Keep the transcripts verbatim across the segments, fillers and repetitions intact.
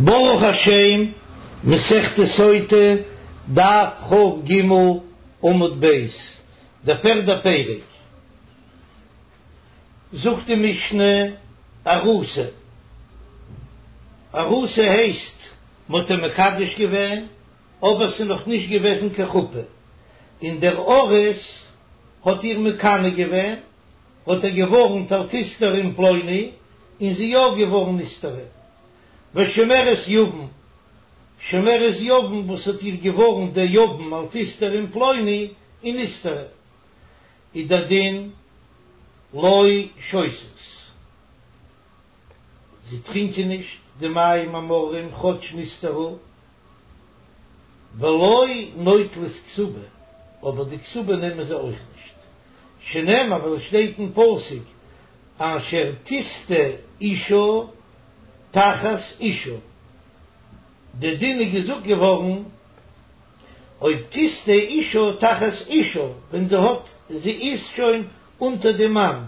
ברוך השם, מסכת סוטה, דף כ"ג, עמוד ב', דער פערדער פרק, זאגט די משנה, ארוסה, ארוסה הייסט מ'האט איר מקדש געווען, אבער ס'איז נאך נישט געוועזן קיין חופה, און דער ארוס האט איר מקנא געווען, האט ער געווארנט אל תסתרי עם פלוני, און זי יא געווארן נסתרה. ושומרת יבם, שומרת יבם וואס האט איר געווארנט דער יבם אל תסתרי עם פלוני, און נסתרה, איז דער דין לא שותות. זיי טרינקען נישט די מים המרים כאטש נסתרה, ולא נוטלות כתובה, אבער די כתובה נעמען זיי אויך נישט, שנאמר ווייל עס שטייט אין פסוק אשר תשטה אשה תחת אישה, די דין איז געזאגט געווארן אויב תשטה אשה תחת אישה ווען זי האט זי איז שוין אונטער די מאן,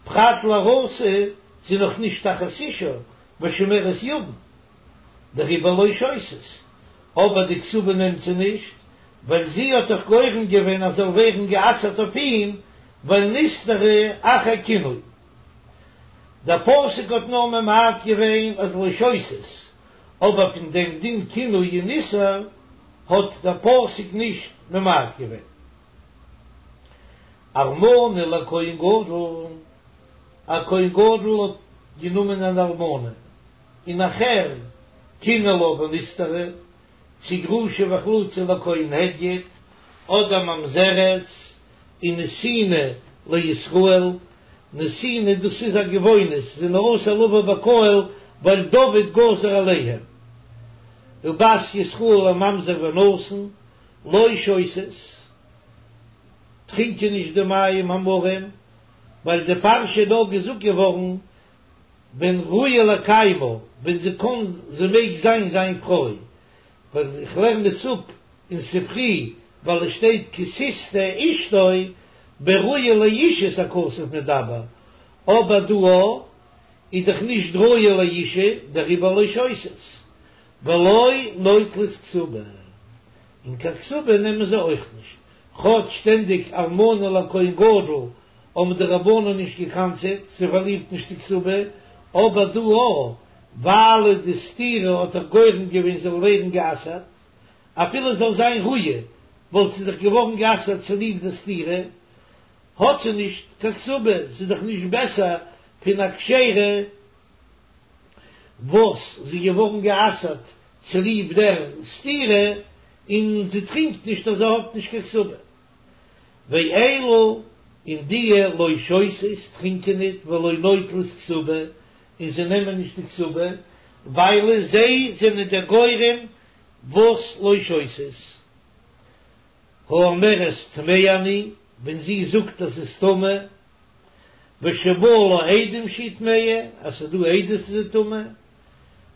פרט לארוסה זי נאך נישט תחת אישה ושומרת יבם דעריבער לא שותות, אבער די כתובה נעמט זי נישט ווייל זי האט דאך גורם געווען אז זאל ווערן גע'אסר'ט אויף אים ווייל נסתרה אחר קינוי. דער פסוק האט נאר ממעט געווען אז לא שותות, אבער פון דעם דין קינוי און איסור האט דער פסוק נישט ממעט געווען. אלמנה לכהן גדול, א כהן גדול האט גענומען אן אלמנה, און נאכהער קינא לה ונסתרה, צו גרושה וחלוצה לכהן הדיוט, אדער ממזרת און נתינה לישראל, נתינה דאס איז א גבעונית, זענען אסור לבוא בקהל ווייל דוד גזר עליהם, ובת ישראל לממזר ונתין, לא שותות, טרינקען נישט די מים המרים, ווייל די פרשה איז נאר געזאגט געווארן ווען ראויה לקיימה, ווען זי קען, זי מעג זיין זיין פרוי, ווייל איך לערן עס אפ אין ספרי, ווייל עס שטייט כי תשטה אשתו בראויה לאישות הכתוב מדבר, אבער דא איז דאך נישט ראויה לאישה, דעריבער לא שותות, ולא נוטלות כתובה, און קיין כתובה נעמען זיי אויך נישט, כאטש שטענדיג אלמנה לכהן גדול האבן די רבנן נישט געקנס'עט, זי פארלירט נישט די כתובה, אבער דא ווייל די סתירה האט דאך גורם געווען זאל ווערן גע'אסר'ט, אפילו זאל זיין ראויה וואלט זי דאך געווארן גע'אסר'ט צוליב די סתירה, האט זי נישט קיין כתובה, ס'איז דאך נישט בעסער פון א כשרה וואס זי איז געווארן גע'אסר'ט צוליב דער סתירה, און זי טרינקט נישט אז זי האט נישט קיין כתובה. ואלו און דיע לא שותות טרינקען ניט ולא נוטלות כתובה און זיי נעמען נישט די כתובה ווייל זיי זענען דער גורם וואס לא שותות. האומרת טמאה אני ווען זי זאגט אז זי איז טמא ושבאו לה עדים שהיא טמאה אז ס'איז דא עדות אז זי איז טמא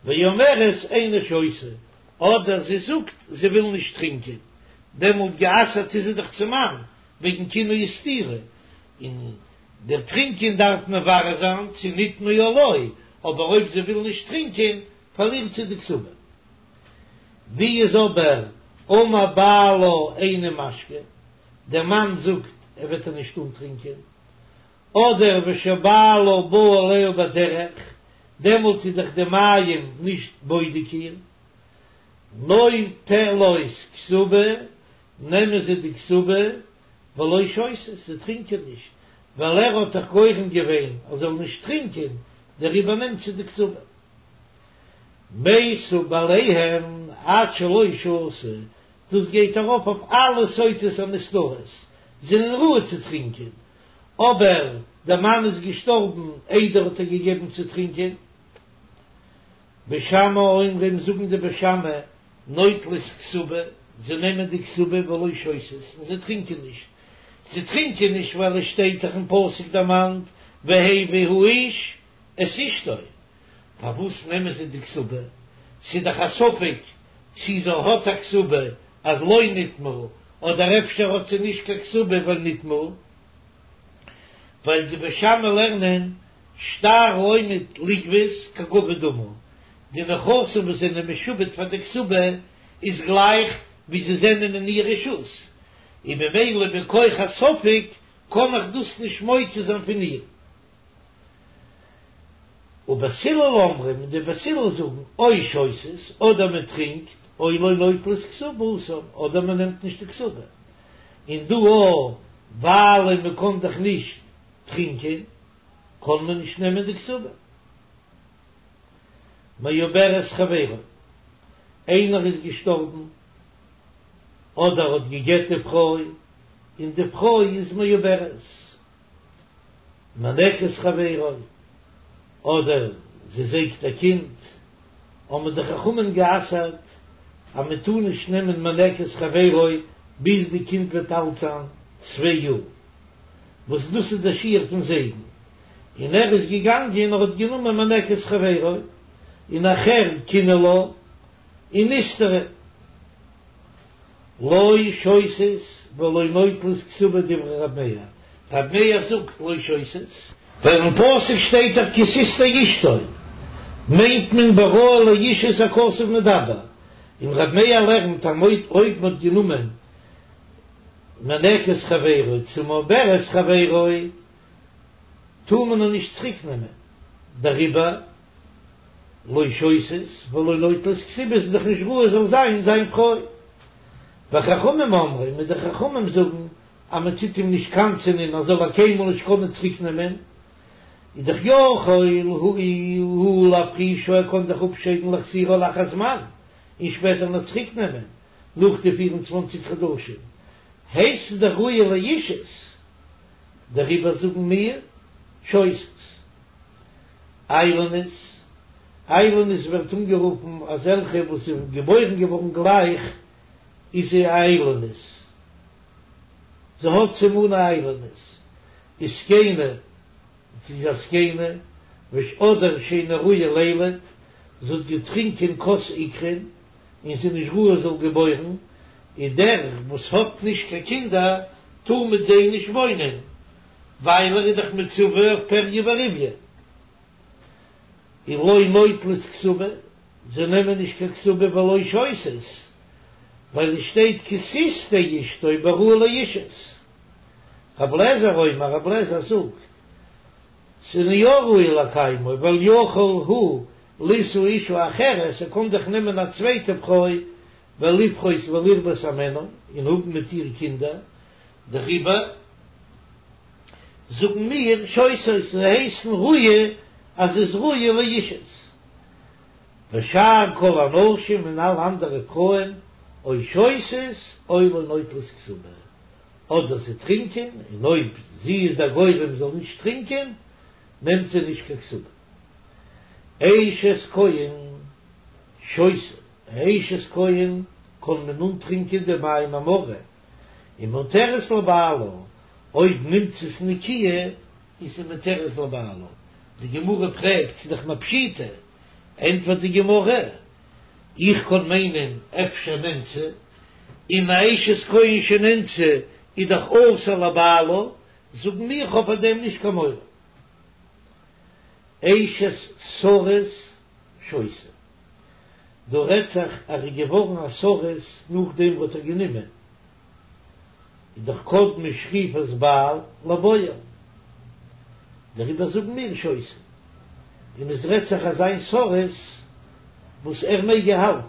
ואומרת איני שותה אדער זי זאגט זי וויל נישט טרינקען דעמאלט גע'אסר'ט איז זי דאך צום מאן וועגן קינוי וסתירה, און דער טרינקען דארף מברר זיין צו נטמאה או לא, אבער אויב זי וויל נישט טרינקען פארלירט זי די כתובה. ווי איז אבער אמר בעלה איני משקה, דער מאן זאגט ער וועט איר נישט אנטרינקען, אדער ושבעלה בא עליה בדרך, דעמאלט איז דאך די מים נישט בודק איר, נוטלות כתובה, נעמען זיי די כתובה, ולא שותות, זיי טרינקען נישט, ווייל ער האט דאך גורם געווען אז זאל נישט טרינקען, דעריבער נעמט זי די כתובה. מתו בעליהם עד שלא שתו, דאס גייט ארויף אויף אלע סוטות הנסתרות, זענען ראוי צו טרינקען, אבער דער מאן איז געשטארבן איידער האט ער געגעבן צו טרינקען. בית שמאי אומרים זאגן די בית שמאי נוטלות כתובה, זיי נעמען די כתובה ולא שותות און זיי טרינקען נישט, זיי טרינקען נישט ווייל עס שטייט דאך אין פסוק דערמאנט והביא האיש את אשתו, פארוואס נעמען זיי די כתובה? ס'איז דאך א ספק צי זי האט א כתובה אז לא נטמאה, אדער אפשר האט זי נישט קיין כתובה ווייל נטמאה, ווייל די בית שמאי לערנען שטר העומד לגבות כגבוי דמי, די נכסים וואס זענען משועבד פאר די כתובה איז גלייך ווי זיי זענען אין איר רשות, און ממילא מכח הספק קען איך דאס נישט מוציא זיין פון איר. ובית הלל אומרים, און די בית הלל זאגן, או שותות, אדער מען טרינקט, או לא נוטלות כתובתן, אדער מען נעמט נישט די כתובה. און דא אויך, ווייל מען קען דאך נישט טרינקען, קען מען נישט נעמען די כתובה. מעוברת חברו, איינער איז געשטארבן, אדער האט גע'גט די פרוי, און די פרוי איז מעוברת. מינקת חברו, אדער זי זייגט א קינד, האבן די חכמים גע'אסר'ט אז מען טאר נישט נעמען מינקת חברו ביז די קינד וועט אלט זיין צוויי יאר, וואס דאס איז דער שיעור פון זייגן, און ער איז געגאנגען און האט גענומען מינקת חברו, און נאכהער קינא לה, און נסתרה. לא שותות ולא נוטלות כתובה דברי רב מאיר, רב מאיר זאגט לא שותות, ווייל אין פסוק שטייט דאך כי תשטה אשתו, מיינט מען בראוי לאישות הכתוב מדבר, און רב מאיר לערנט אז אויב מען האט גענומען מינקת חברו צו מעוברת חברו טאר מען איר נישט צוריק נעמען, דעריבער לא שותות ולא נוטלות כתובה איז דאך נישט ראוי זאל זיין זיין פרוי. וחכמים אומרים, און די חכמים זאגן אז מען טוט אים נישט קנס'ענען אז זאל ער קיינמאל נישט קענען צוריק נעמען, איז דאך יכול הוא להפרישה ער קען זיך אפשיידן להחזירה לאחר זמן און שפעטער נאר צוריק נעמען נאך די פיר און צוואנציג חדשים הייסט עס דאך ראויה לאישות, דעריבער זאגן מיר שותות. איילונית, איילונית ווערט אנגערופן אזעלכע וואס זענען געבוירן געווארן גלייך איז זי א איילונית, זי האט סימני איילונית, וזקנה, זי איז א זקנה, אדער שאינה ראויה לילד, זי האט געטרינקען כוס עיקרין און זי איז נישט ראוי זאל געבוירן, און דער וואס האט נישט קיין קינדער טאר מיט זיי נישט וואוינען, ווייל ער איז דאך מצווה אויף פריה ורביה, און לא נוטלות כתובה, זיי נעמען נישט קיין כתובה ולא שותות, ווייל עס שטייט כי תשטה אשתו בראוי לאישות. רב לעזער אומר, רב לעזער זאגט, ס'איז יא ראוי לקיימו, ווייל יכול הוא לישא אשה אחרת, ער קען דאך נעמען א צווייטע פרוי, ולפרות ולרבות הימנה, און האבן מיט איר קינדער, דעריבער זאגן מיר שותות זיי הייסן ראויה אז ס'איז ראויה לאישות, ושאר כל הנשים און אלע אנדערע פרויען או שותות או לא נוטלות כתובה, אדער זיי טרינקען און אויב זי איז דער גורם זאל נישט טרינקען נעמט זי נישט קיין כתובה. אשת כהן שותה, אשת כהן קען מען אנטרינקען די מים המרים ומותרת לבעלה, אויב נמצאת נקיה איז זי מותרת לבעלה, די גמרא פרעגט ס'איז דאך מיר פשיטא, ענטפערט די גמרא, איך קען מיינען אפשר נאנסה, און א אשת כהן שנאנסה איז דאך אסור לבעלה, זאגן מיר כ'האב פאר דעם נישט קיין מורא. אשת סריס שותה. דא רעדט זיך אז ער איז געווארן א סריס נאכדעם וואס ער האט גענומען, איז דאך קדמה שכיפת בעל לבועל, דעריבער זאגן מיר שותה, און עס רעדט זיך אזא סריס וואס ער מעג איר האלטן,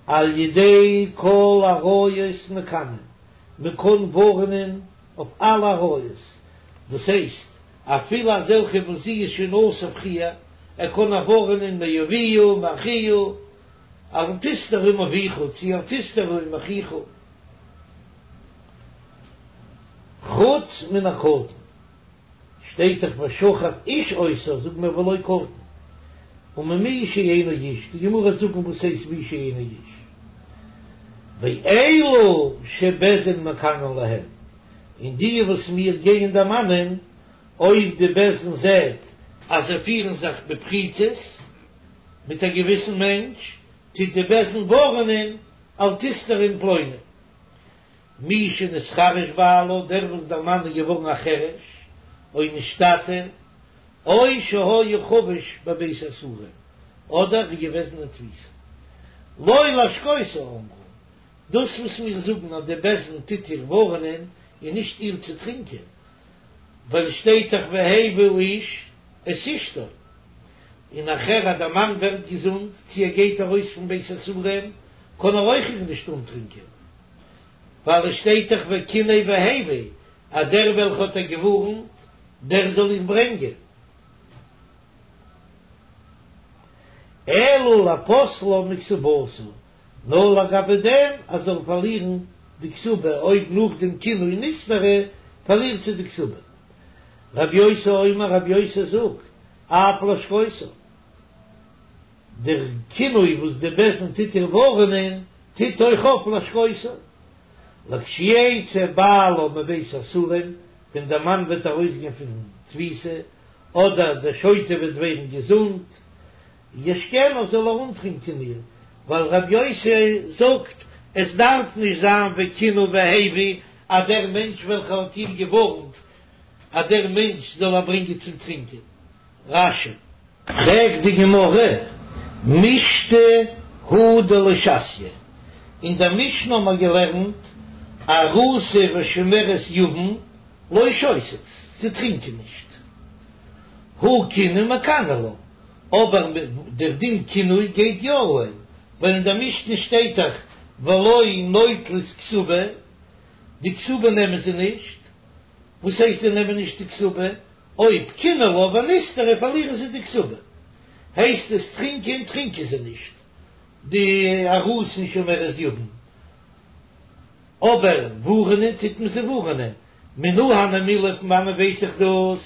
על ידי כל עריות מקנין, מען קען ווארענען אויף אלע עריות, דאס הייסט אפילו אזעלכע וואס זי איז שוין אסור פריער, ער קען איר ווארענען מאביה מאחיה, אל תסתרי עם אביך צי אל תסתרי עם אחיך, חוץ מן הקטן, שטייט דאך ושכב איש אותה, זאגט מען ולא קטן, וממי שאינו איש, די גמרא וועט זאגן וואס הייסט מי שאינו איש, ואלו שבית דין מקנין להם, און די וואס מיר גייען דערמאנען, אויב די בית דין זעט אז זיי פירן זיך בפריצות מיט א געוויסן מענטש, טוט די בית דין ווארענען אל תסתרי עם פלוני. מי שנתחרש בעלה, דער וואס דער מאן איז געווארן א חרש, או נשתטה, או שהיה חבוש בבית האסורין, אדער איז געוועזן אין תפיסה. לא להשקותה אמרו, דאס וואס מיר זאגן אז די בית דין טוט איר ווארענען איז נישט איר צו טרינקען, ווייל שטייט דאך והביא האיש את אשתו, און נאכער אז דער מאן ווערט געזונט צו ער גייט ארויס פון בית האסורים קען ער אויך איר נישט אנטרינקען, ווייל עס שטייט דאך וקנא והביא אז דער וועלכע האט איר געווארנט דער זאל איר ברענגען. אלא לפוסלה מכתובתה, נאר לגבי דעם אז זאל פארלירן די כתובה, אויב נאך דעם קינוי נסתרה פארלירט זי די כתובה. רבי יוסי אומר, רבי יוסי זאגט, אף להשקותה, דער קינוי וואס די בית דין טוט איר ווארענען, טוט אויך אויף להשקותה, לכשיצא בעלה מבית האסורים, ווען דער מאן וועט ארויסגיין פון תפיסה, אדער דער שוטה וועט ווערן געזונט, ישקנה זאל ער אנטרינקען איר, ווייל רבי יוסי זאגט, עס דארף נישט זיין וקנא והביא אז דער מענטש וועלכער האט איר געווארנט אז דער מענטש זאל איר ברענגען צום טרינקען. רש"י. פרעגט די גמרא, משתא הוא דלא שתיא, אין דער משנה האבן מיר געלערנט ארוסה ושומרת יבם לא שותות, זיי טרינקען נישט, הא קינוי מקני לה, אבער דער דין קינוי גייט יא אהן, ווייל אין דער משנה שטייט דאך ולא נוטלות כתובה, די כתובה נעמען זיי נישט, וואס הייסט זיי נעמען נישט די כתובה? אויב קינא לה ונסתרה פארלירן זיי די כתובה, הייסט עס טרינקען טרינקען זיי נישט די ארוסה און שומרת יבם, אבער ווארענען טוט מען זיי ווארענען, מנא הני מילי פון וואנען ווייס איך דאס?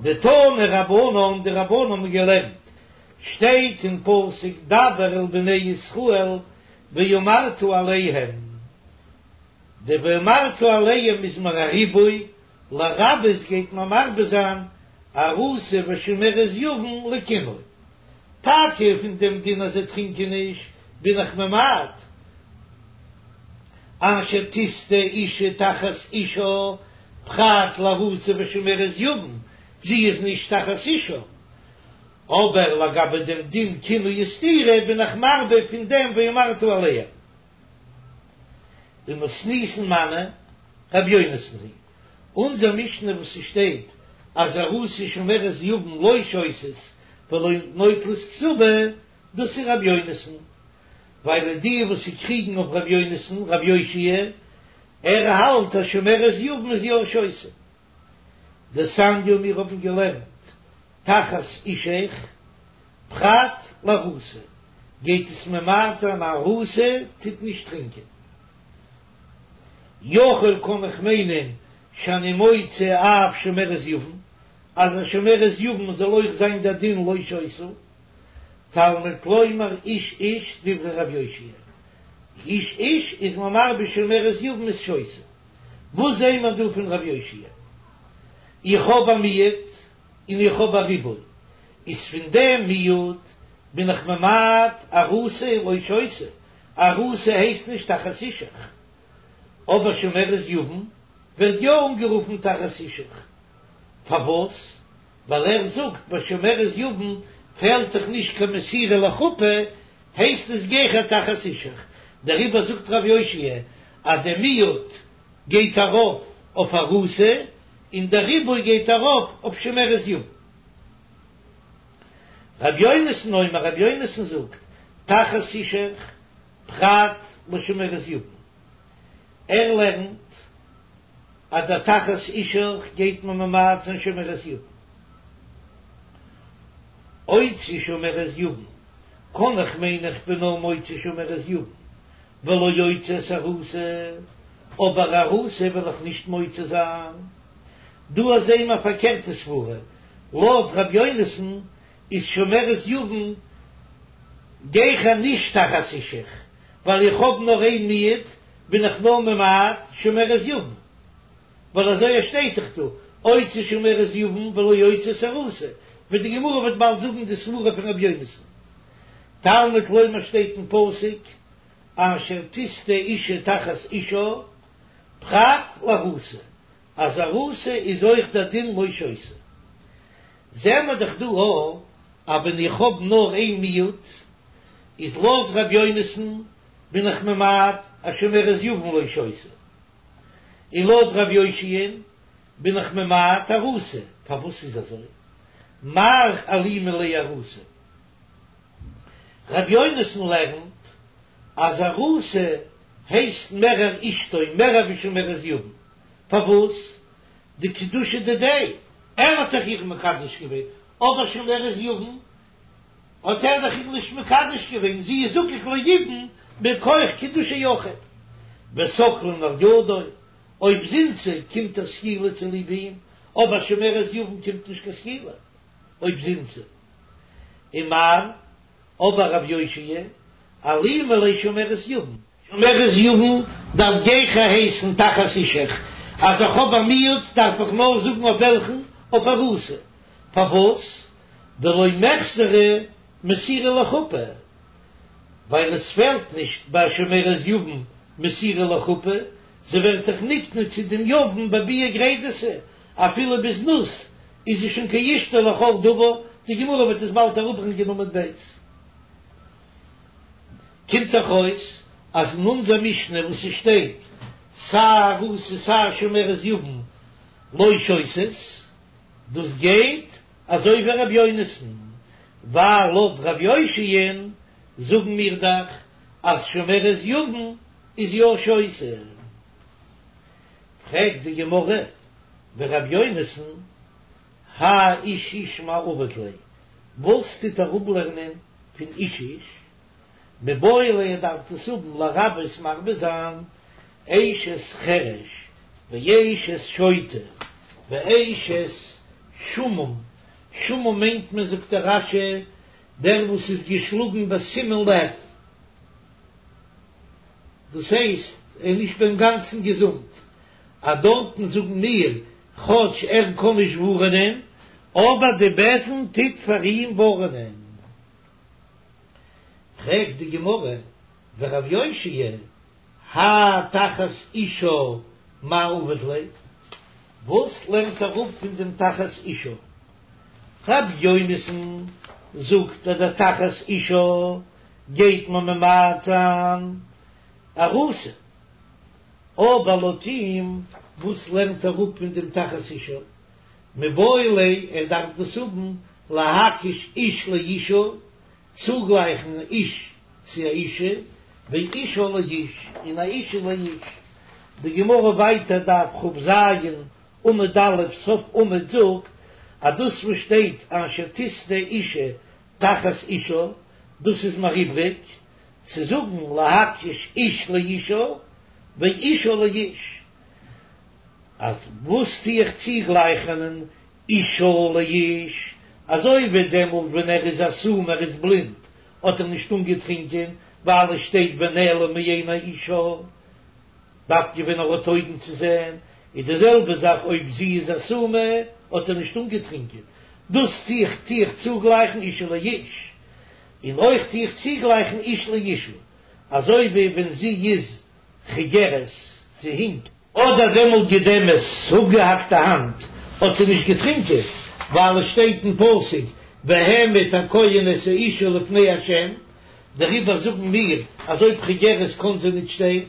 דתנו רבנן, די רבנן האבן געלערנט, שטייט אין פסוק דבר אל בני ישראל ואמרת אליהם, די ואמרת אליהם איז מיר א ריבוי, לרבות גייט מען מרבה זיין ארוסה ושומרת יבם לקינוי. טאקע פון דעם דין אז זיי טרינקען נישט בין איך ממעט, אשר תשטה אשה תחת אישה פרט לארוסה ושומרת יבם, זי איז נישט תחת אישה, אבער לגבי דעם דין קינוי וסתירה בין איך מרבה פון דעם ואמרת אליהם. ומתניתין מני רבי יונתן היא אונזער משנה וואס ס'שטייט אז ארוסה ושומרת יבם לא שותות ולא נוטלות כתובה, דאס איז רבי יונתן, ווייל די וואס ס'קריגן אויף רבי יונתן, רבי יאשיה, ער האלט אז שומרת יבם איז יא שותה. דתניא מיר האבן געלערנט תחת אישך פרט לארוסה, גייט עס ממעט זיין ארוסה טוט נישט טרינקען. יכול קען איך מיינען שאני מוציא אף שומרת יבם, אז א שומרת יבם זאל אויך זיין דער דין לא שותה, תלמוד לומר איש איש דברי רב יאשיה, איש איש איז מען מרבה שומרת יבם איז שותה. וואס זעהן מיר דא פון רב יאשיה? איך האב א מיעוט און איך האב א ריבוי, איז פון דעם מיעוט בין איך ממעט ארוסה לא שותה, ארוסה הייסט נישט תחת אישך, אבער שומרת יבם ווערט יא אנגערופן תחת אישך, פארוואס? ווייל ער זאגט ביי שומרת יבם פעלט דאך נישט קיין מסירה לחופה, הייסט עס גיכער תחת אישך, דעריבער זאגט רב יאשיה אז דער מיעוט גייט ארויף אויף ארוסה און דער ריבוי גייט ארויף אויף שומרת יבם. רבי יונתן אומר, רבי יונתן זאגט, תחת אישך פרט לשומרת יבם. ער לערנט אז דער תחת אישך גייט מען ממעט זיין שומרת יבם. אוציא שומרת יבם, קען איך מיינען איך בין נאר מוציא שומרת יבם, ולא אוציא את ארוסה, אבער ארוסה וועל איך נישט מוציא זיין. דא זעהן מיר א פארקערטע סברה, לויט ר' יונתן איז שומרת יבם גיכער נישט תחת אישך, ווייל איך האב נאר איין מיעוט בין איך נאר ממעט שומרת יבם, ווייל אזוי שטייט דאך דא, אוציא שומרת יבם ולא אוציא את ארוסה, ווי די גמרא וועט באלד זאגן די סברה פון ר' יונתן. תלמוד לומר שטייט אין פסוק אשר תשטה אשה תחת אישה פרט לארוסה, אז ארוסה איז אויך דער דין לא שותה. זעהן מיר דאך דא אויך אז ווען איך האב נאר איין מיעוט, איז לויט ר' יונתן בין איך ממעט א שומרת יבם לא שותה, און לויט ר' יאשיה'ן בין איך ממעט ארוסה, פארוואס איז אזוי? מר אלימא ליה ארוסה. ר' יונתן לערנט אז ארוסה הייסט מערער אשתו מערער ווי שומרת יבם, פארוואס? דקידושי דידיה, ער האט דאך איר מקדש געווען, אבער שומרת יבם האט ער דאך איר נישט מקדש געווען, זי איז זקוק ליבום מכח קידושי יחיד, וסקלין על ידו, אויב זינתה קומט איר סקילה צוליב אים, אבער שומרת יבם קומט נישט קיין סקילה אויב זינתה. ומר, אבער רב יאשיה, אלימא ליה שומרת יבם. שומרת יבם דארף גיכער הייסן תחת אישך, אז איך האב א מיעוט דארף איך נאר זאגן אויף וועלכן, אויף ארוסה. פארוואס? דלא מיחסרא מסירה לחופה, ווייל עס פעלט נישט ביי שומרת יבם מסירה לחופה, זי ווערט דאך נקנה צו דעם יבם בביאה גרידתא, אפילו בזנות איז זי שוין כאשתו לכל דבר, די גמרא וועט עס באלד אראפברענגען עמוד ב'. קומט דאך אויס אז אין אונזער משנה וואס עס שטייט סיי ארוסה סיי שומרת יבם לא שותות, דאס גייט אזוי ווי ר' יונתן, ווייל לויט ר' יאשיה'ן זאגן מיר דאך אז שומרת יבם איז יא שותה. פרעגט די גמרא ור' יונתן האי איש איש מאי עביד ליה, וואס טוט ער אפלערנען פון איש איש? מיבעי ליה ער דארף דאס האבן לרבות מרבה זיין אשת חרש ואשת שוטה ואשת שעמום, שעמום מיינט מען זאגט דער רש"י דער וואס איז געשלאגן בסימון לב, דאס הייסט ער איז נישט ביים גאנצן געזונט, אז דארטן זאגן מיר כאטש ער קען נישט ווארענען אבער די בית דין טוט פאר אים ווארענען. פרעגט די גמרא ורב יאשיה האי תחת אשה מאי עביד ליה, וואס לערנט ער אפ פון דעם תחת אשה? רב יונתן זאגט אז דער תחת אשה גייט מען ממעט זיין ארוסה, אבער לויט אים וואס לערנט ער אפ פון דעם תחת אשה? מיבעי ליה ער דארף דאס האבן להקיש איש לאשה, צוגלייכן איש צו א אישה, ואשה לאיש, און א אישה לאיש. די גמרא ווייטער דף כ"ז עמוד א' סוף עמוד זאגט אז דאס וואס שטייט אשר תשטה אשה תחת אישה דאס איז מיר איבריג צו זאגן להקיש איש לאשה ואשה לאיש. אז וואס טו איך צוגלייכענען אשה לאיש, אזוי ווי דעמאלט ווען ער איז א סומא ער איז בלינד האט ער נישט אנגעטרינקען ווייל עס שטייט ונעלם מעיני אישה, דווקא ווען ער האט אויגן צו זען, איז די זעלבע זאך אויב זי איז א סומא האט ער נישט אנגעטרינקען, דאס טו איך טו איך צוגלייכן אשה לאיש, און אויך טו איך צוגלייכן איש לאשה, אזוי ווי ווען זי איז חיגרת, זי הינקט. אדער דעמאלט גידמת, אפגעהאקט א האנט, האט זי נישט געטרינקען, ווייל עס שטייט אין פסוק והעמיד הכהן את האשה לפני ה', דעריבער זאגן מיר אז אויב חיגרת קען זי נישט שטיין,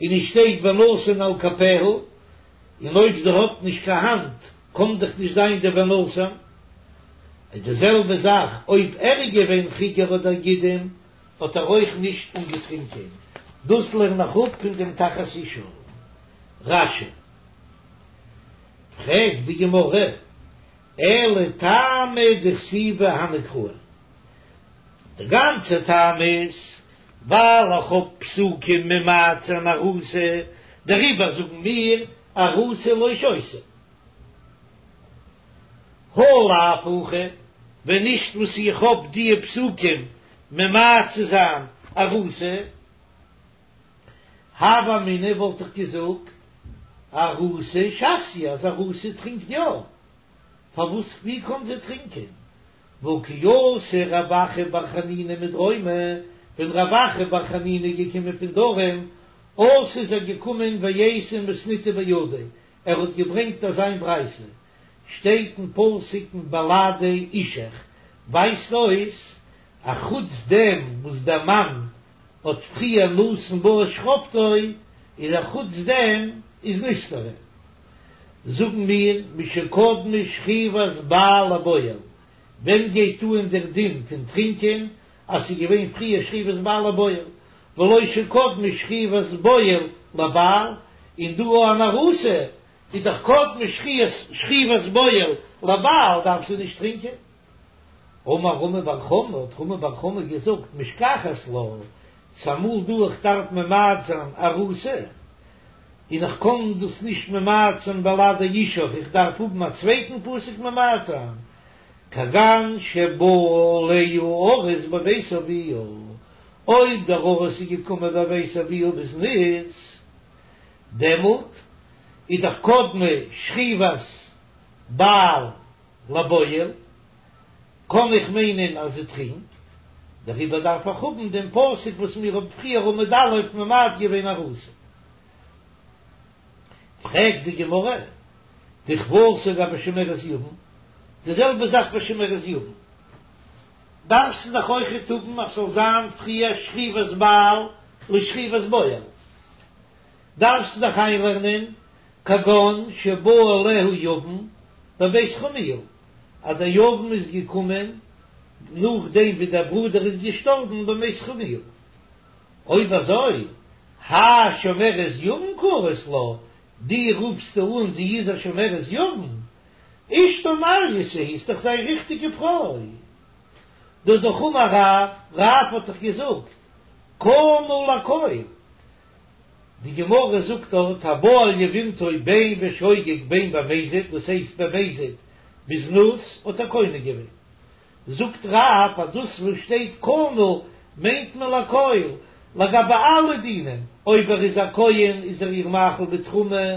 און עס שטייט ונתן על כפיה, און אויב זי האט נישט קיין האנט קען דאך נישט זיין די ונתן, איז די זעלבע זאך אויב ער איז געווען חיגר אדער גידם, האט ער אויך נישט אנגעטרינקען, דאס לערן איך אפ פון דעם תחת אשה. רש"י. פרעגט די גמרא, אלא טעמא דכתיבי הני קראי, די גאנצע טעם איז ווייל איך האב פסוקים ממעט זיין ארוסה, דעריבער זאגן מיר ארוסה לא שותה. הא לאו הכי, ווען נישט וואס איך האב דיע פסוקים ממעט צו זיין ארוסה, הוה אמינא וואלט איך געזאגט ארוסה שתיא אז ארוסה טרינקט יא, פארוואס ווי קען זי טרינקען? והא כי אתא רב אחא בר חנינא מדרומא, ווען רב אחא בר חנינא איז געקומען פון דרום, אתא איז ער געקומען ואייתי מתניתא בידיה, ער האט געברענגט אזא מין ברייתא, שטייט אין פסוק מבלעדי אישך, ווייזט אויס א חוץ דעם וואס דער מאן האט פריער נתן בה את שכבתו, איז א חוץ דעם איז נסתרה. זאגן מיר משקדמה שכיבת בעל לבועל, ווען גייט אן דער דין פון טרינקען אז ס'איז געווען פריער שכיבת בעל לבועל, ולא שקדמה שכיבת בועל לבעל, און דא אן ארוסה איז דאך קדמה שכיבת בועל לבעל דארף זי נישט טרינקען. אמר רמי בר חמא, האט רמי בר חמא געזאגט, משכחת לה, ס'אמאל דא איך דארף ממעט זיין ארוסה, און איך קען דאס נישט ממעט זיין בלעדי אישך, איך דארף האבן א צווייטן פסוק ממעט זיין, כגון שבא עליה ארוס בבית אביה, אויב דער ארוס איז געקומען בבית אביה בזנות, דעמאלט איז דאך קדמה שכיבת בעל לבועל, קען איך מיינען אז זי טרינקט, דעריבער דארף איך האבן דעם פסוק וואס מיר האבן פריער עמוד א' ממעט געווען ארוסה. פרעגט די גמרא, דכוותה גבי שומרת יבם, די זעלבע זאך ביי שומרת יבם, דארפסטו דאך אויכעט האבן אז ס'זאל זיין פריער שכיבת בעל לשכיבת בועל, דארפסטו דאך איינלערנען כגון שבא עליה יבם בבית חמיה, אז דער יבם איז געקומען נאכדעם ווי דער ברודער איז געשטארבן בבית חמיה. אויב אזוי, האי שומרת יבם קרית לה, דו רופסט אן זי איז א שומרת יבם? אשתו מעלייתא היא, ס'איז דאך זיין ריכטיגע פרוי. דהא דאך אמר רב, רב האט דאך געזאגט, קנה לכל. די גמרא זאגט דארט הבא על יבמתו בין בשוגג בין במזיד, דאס הייסט במזיד בזנות האט ער קונה געווען. זאגט רב אז דאס וואס שטייט קנה מיינט מען לכל, לגבי אלע דינים, אויב ער איז א כהן איז ער איר מאכיל בתרומה,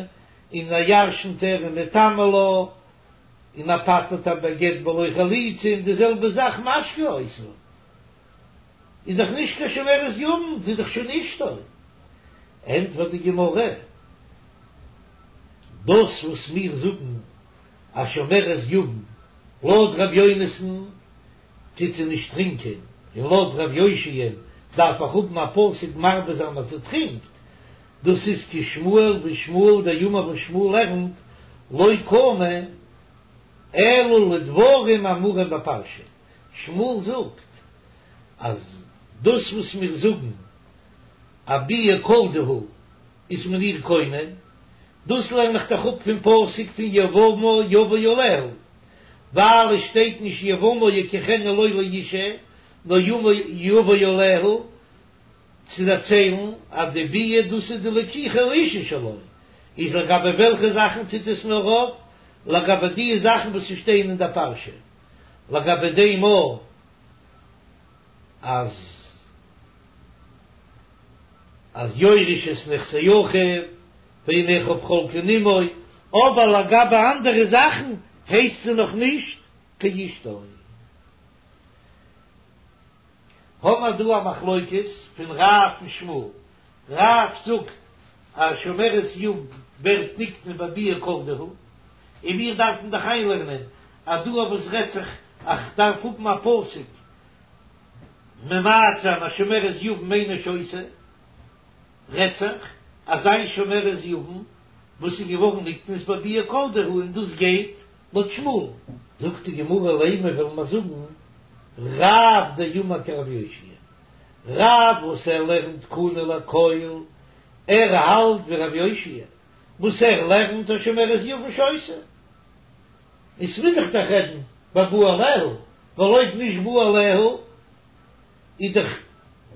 און ער ירשנט איר און מטמא לה, און ער פטר'ט איר בגט בלא חליצה, און די זעלבע זאך משקה אותה. איז דאך נישט קיין שומרת יבם, זי איז דאך שוין אשתו. ענטפערט די גמרא, דאס וואס מיר זאגן אז שומרת יבם לויט ר' יונתן טוט זי נישט טרינקען, און לויט ר' יאשיה'ן דארף איך האבן א פסוק מרבה זיין אז זי טרינקט, דאס איז כשמואל ווי שמואל דאמר וואס שמואל לערנט לא קנה אלא לדברים האמורים בפרשה. שמואל זאגט אז דאס וואס מיר זאגן א ביאה כל דהו איז מען איר קונה, דאס לערן איך דאך אפ פון פסוק פון יבמה יבא עליה, ווייל עס שטייט נישט יבמה יקחנה לו לאשה, נאר יבא עליה צו דערציילן אז די ביאה דאס איז די לקיחה האשה שלו, איז לגבי וועלכע זאכן טוט עס נאר אויף? לגבי די זאכן וואס שטייען אין דער פרשה. לגבי דעם אויך אז אז יורש את נכסי אחיו והן אחיו חולקין עמו, אבער לגבי אנדערע זאכן הייסט זי נאך נישט קיין אשתו. האמער דא א מחלוקת פון רב און שמואל, רב זאגט אז שומרת יבם ווערט נקנה בביאה כל דהו, און מיר דארפן דאך איינלערנען אז דא אויף וואס רעדט זיך אז כ'דארף האבן א פסוק ממעט זיין אז שומרת יבם אינה שותה, רעדט זיך אז איין שומרת יבם וואס איז געווארן נקנית בביאה כל דהו און דאס גייט לויט שמואל. זאגט די גמרא לימא וועלן מיר זאגן רב דאמר כרבי יאשיה, רב וואס ער לערנט קנה לכל, ער האלט ווי רבי יאשיה וואס ער לערנט אז שומרת יבם שותה, און ס'מוז זיך דאך רעדן בבא עליה, ווייל אויב נישט בא עליה איז דאך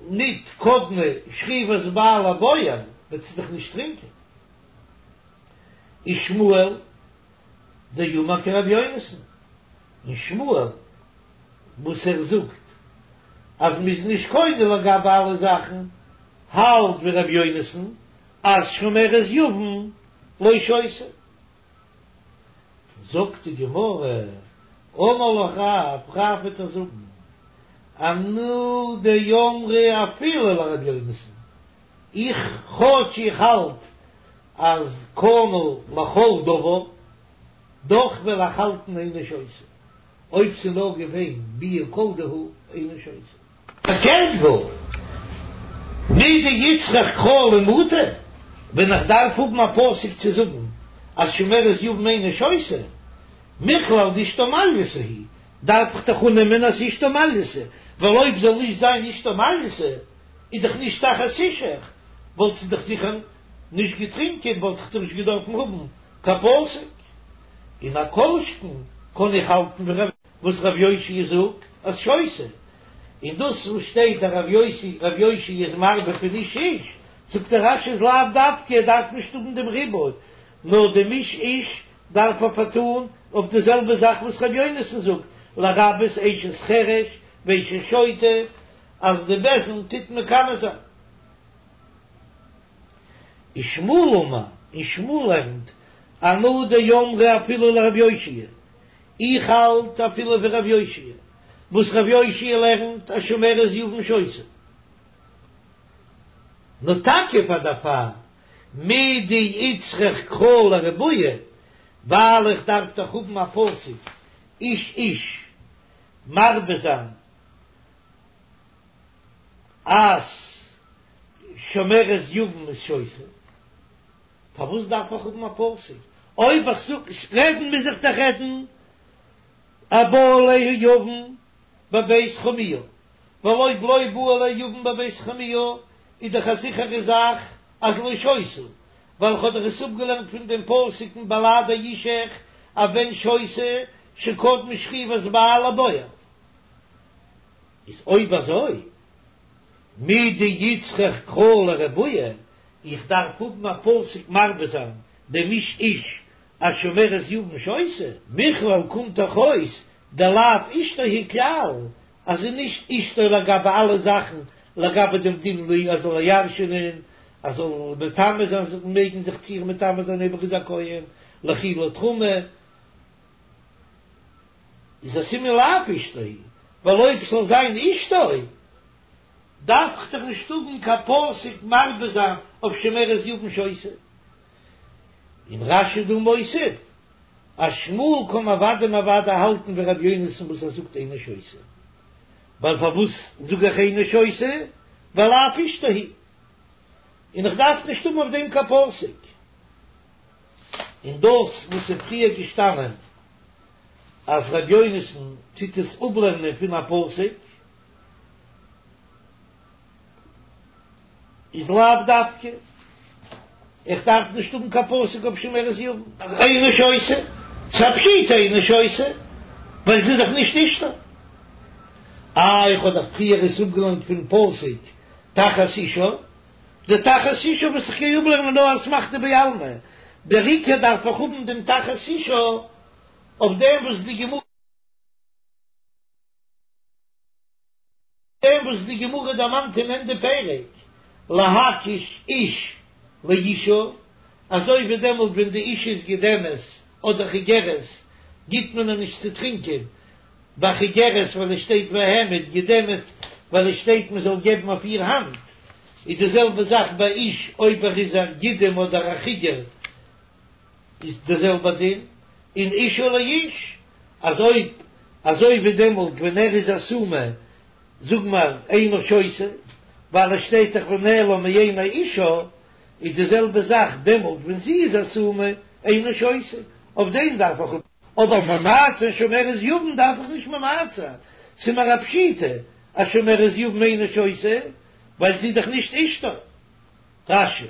ניט קדמה שכיבת בעל לבועל, וועט זי דאך נישט טרינקען. ושמואל דאמר כרבי יונתן, און שמואל וואס ער זאגט אז מ'איז נישט קונה לגבי אלע זאכן, האלט ווי רבי יונתן אז שומרת יבם לא שותה. זאגט די גמרא, אמר לך רב, רב וועט דיר זאגן, אנא דאמרי אפילו לרבי יונתן, איך כאטש איך האלט אז קנה לכל דבר, דאך וועל איך האלטן אינה שותה, אויב ס'איז נאר געווען ביאה כל דהו אינה שותה. פארקערט גאר, מדאיצטריך קרא למעוטי, ווען איך דארף האבן א פסוק צו זאגן אז שומרת יבם אינה שותה, מכלל דאשתו מעלייתא היא, דארף איך דאך אננעמען אז אשתו מעלייתא, ווייל אויב זאל נישט זיין אשתו מעלייתא איז דאך נישט תחת אישך, וואלט זי דאך זיכער נישט געטרינקען, וואלט איך דאך נישט געדארפן האבן קיין פסוק. און א כל שכן קען איך האלטן ווי וואס רב יאשיה זאגט אז שותה, און דאס וואס שטייט אז רב יוסי רב יאשיה איז מרבה פון איש איש, זאגט דער רש"י איז לאו דווקא ער דארף נישט האבן דעם ריבוי, נאר דעם איש איש דארף ער פארטאן אויף די זעלבע זאך וואס רבי יונתן זאגט לרבות אשת חרש ואשת שוטה אז די בית דין טוט מקנא זיין. ושמואל אמר, און שמואל לערנט, אנא דאמרי אפילו לרב יאשיה, איך האלט אפילו ווי רב יאשיה, וואס רב יאשיה לערנט אז שומרת יבם שותה. נאר טאקע פאר דערפאר מדאיצטריך קרא לרבויי, ווייל איך דארף דאך האבן א פסוק איש איש מרבה זיין אז שומרת יבם איז שותה, פארוואס דארף איך האבן א פסוק? אויב איך זאג רעדן מוז איך דאך רעדן אז בא עליה יבם בבית חמיה, ווייל אויב לא בא עליה יבם בבית חמיה איז דאך א זיכערע זאך אז לא שותה, ווייל איך האב דאך עס אפגעלערנט פון דעם פסוק אין בלעדי אישך אז ווען שותה שקדמה שכיבת בעל לבועל. איז אויב אזוי מדאיצטריך קרא לרבויי, איך דארף האבן א פסוק מרבה זיין דעם איש איש אז שומרת יבם שותה, מכלל קומט דאך אויס דלאו אשתו היא כלל, אז זי איז נישט אשתו לגבי אלע זאכן, לגבי דעם דין לי אז זאל איר ירש'ענען, אז זאל מטמא זיין זיך מעגן זיך צו איר מטמא זיין אויב ער איז א כהן, לאכילה תרומה. איז א סימן לאו אשתו היא, ווייל אויב ס'זאל זיין אשתו דארף איך דאך נישט האבן קיין פסוק מרבה זיין אויף שומרת יבם שותה. און רש"י דא מוסיף אז שמואל קען אוודאי און אוודאי האלטן ווי ר' יונתן וואס ער זאגט אינה שותה, ווייל פארוואס זאג איך אינה שותה? ווייל לאו אשתו היא, און איך דארף נישט האבן אויף דעם קיין פסוק. און דאס וואס איז פריער געשטאנען אז ר' יונתן טוט עס אפלערנען פון א פסוק איז לאו דווקא, איך דארף נישט האבן קיין פסוק אויף שומרת יבם. אינה שותה, ס'איז א פשיטא אינה שותה, ווייל זי איז דאך נישט אשתו. איי איך האב דאך פריער עס אפגעלערנט פון פסוק תחת אישה, די תחת אישה וואס איך גיי אפלערנען נאר אסמכתא בעלמא, דער עיקר דארף איך האבן דעם תחת אישה אויף דעם וואס די גמרא דעם וואס די גמרא דערמאנט אין ענדע פרק להקיש איש לאישה, אזוי ווי דעמאלט ווען די אישה איז גידמת אדער חיגרת גיט מען איר נישט צו טרינקען, ביי חיגרת ווייל עס שטייט והעמיד, גידמת ווייל עס שטייט מען זאל געבן אויף איר האנט, איז די זעלבע זאך ביי איש אויב ער איז א גידם אדער א חיגר איז די זעלבע דין, און אישה לאיש אז אויב אזוי ווי דעמאלט ווען ער איז א סומא זאג מיר אינה שותה ווייל עס שטייט דאך ונעלם מעיני אישה, איז די זעלבע זאך דעמאלט ווען זי איז א סומא אינה שותה, אויף דעם דארף איך. אבער ממעט זיין שומרת יבם דארף איך נישט ממעט זיין, ס'איז מיר א פשיטא אז שומרת יבם אינה שותה, ווייל זי איז דאך נישט אשתו. רש"י.